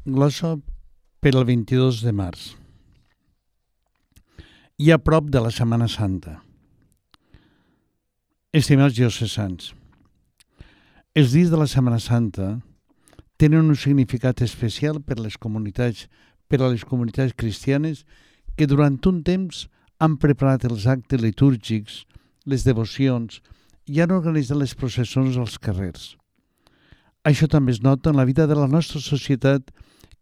Glossa per al 22 de març. I a prop de la Setmana Santa. Estimats diocesans, els dies de la Setmana Santa tenen un significat especial per a les comunitats cristianes que durant un temps han preparat els actes litúrgics, les devocions i han organitzat les processons als carrers. Això també es nota en la vida de la nostra societat,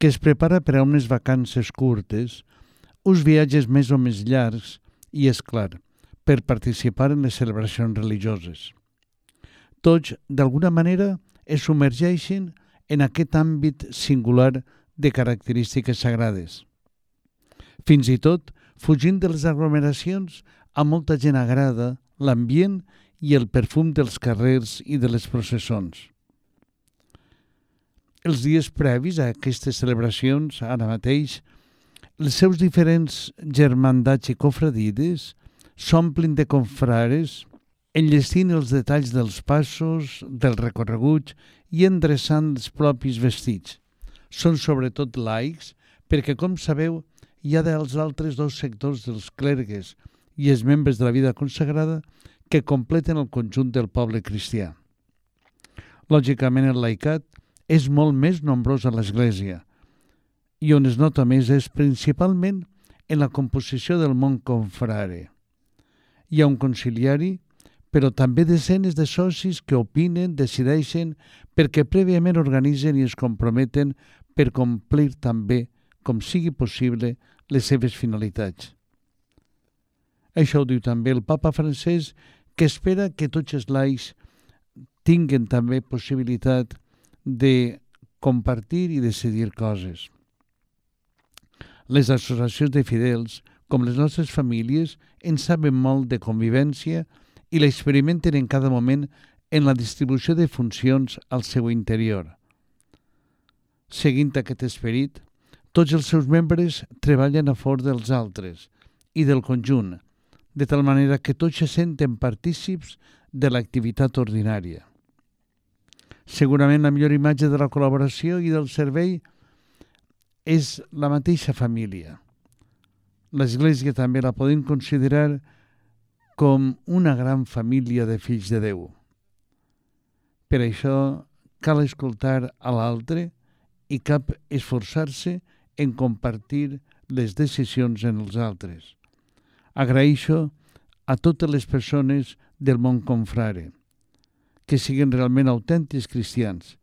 que es prepara per a unes vacances curtes, uns viatges més o més llargs i, és clar, per participar en les celebracions religioses. Tots, d'alguna manera, es submergeixen en aquest àmbit singular de característiques sagrades. Fins i tot, fugint de les aglomeracions, a molta gent agrada l'ambient i el perfum dels carrers i de les processons. Els dies previs a aquestes celebracions, ara mateix, els seus diferents germandats i cofradides s'omplin de confrares, enllestint els detalls dels passos, dels recorreguts i endreçant els propis vestits. Són sobretot laics perquè, com sabeu, hi ha dels altres dos sectors dels clergues i els membres de la vida consagrada que completen el conjunt del poble cristià. Lògicament, el laicat és molt més nombrós a l'Església i on es nota més és principalment en la composició del món confrare. Hi ha un conciliari, però també desenes de socis que opinen, decideixen, perquè prèviament organitzen i es comprometen per complir també, com sigui possible, les seves finalitats. Això ho diu també el papa francès, que espera que tots els laics tinguen també possibilitat de compartir i decidir coses. Les associacions de fidels, com les nostres famílies, en saben molt de convivència i l'experimenten en cada moment en la distribució de funcions al seu interior. Seguint aquest esperit, tots els seus membres treballen a favor dels altres i del conjunt, de tal manera que tots se senten partícips de l'activitat ordinària. Segurament la millor imatge de la col·laboració i del servei és la mateixa família. L'Església també la podem considerar com una gran família de fills de Déu. Per això cal escoltar a l'altre i cal esforçar-se en compartir les decisions en els altres. Agraeixo a totes les persones del món confrare que siguin realment autèntics cristians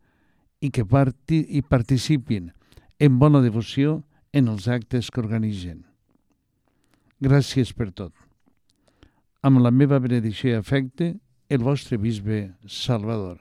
i que participin en bona devoció en els actes que organitzen. Gràcies per tot. Amb la meva benedicció i afecte, el vostre bisbe Salvador.